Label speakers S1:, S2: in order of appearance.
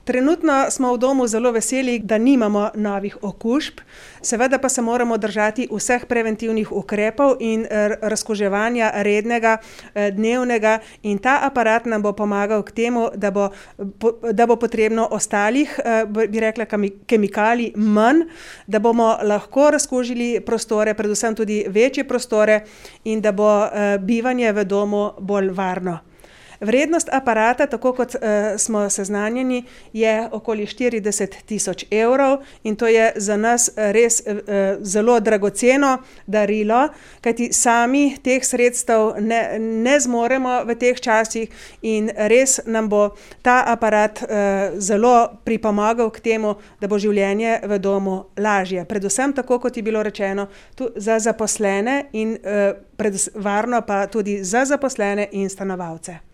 S1: Trenutno smo v domu zelo veseli, da nimamo novih okužb, seveda pa se moramo držati vseh preventivnih ukrepov in razkuževanja rednega, dnevnega, in ta aparat nam bo pomagal k temu, da bo potrebno ostalih, bi rekla, kemikalij manj, da bomo lahko razkužili prostore, predvsem tudi večje prostore, in da bo bivanje v domu bolj varno. Vrednost aparata, tako kot smo seznanjeni, je okoli 40 tisoč evrov, in to je za nas res zelo dragoceno darilo, kajti sami teh sredstev ne zmoremo v teh časih, in res nam bo ta aparat zelo pripomagal k temu, da bo življenje v domu lažje. Predvsem, tako kot je bilo rečeno, za zaposlene in varno pa tudi za zaposlene in stanovalce.